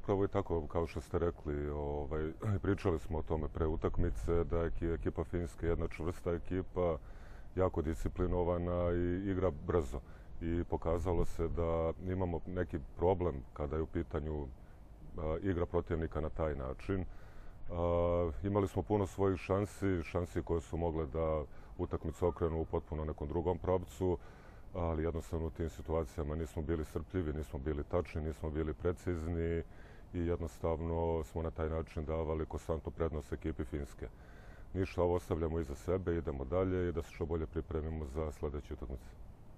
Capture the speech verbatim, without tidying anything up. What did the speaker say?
upravo i tako, kao što ste rekli, ovaj, pričali smo o tome pre utakmice, da je ekipa Finjske jedna čvrsta ekipa, jako disciplinovana i igra brzo. I pokazalo se da imamo neki problem kada je u pitanju a, igra protivnika na taj način. A, imali smo puno svojih šansi, šansi koje su mogle da utakmicu okrenu u potpuno nekom drugom pravcu, ali jednostavno u tim situacijama nismo bili strpljivi, nismo bili tačni, nismo bili precizni i jednostavno smo na taj način davali konstantnu prednost ekipi Finjske. Ništa, ovo ostavljamo iza sebe, idemo dalje i da se što bolje pripremimo za sledeću utakmicu.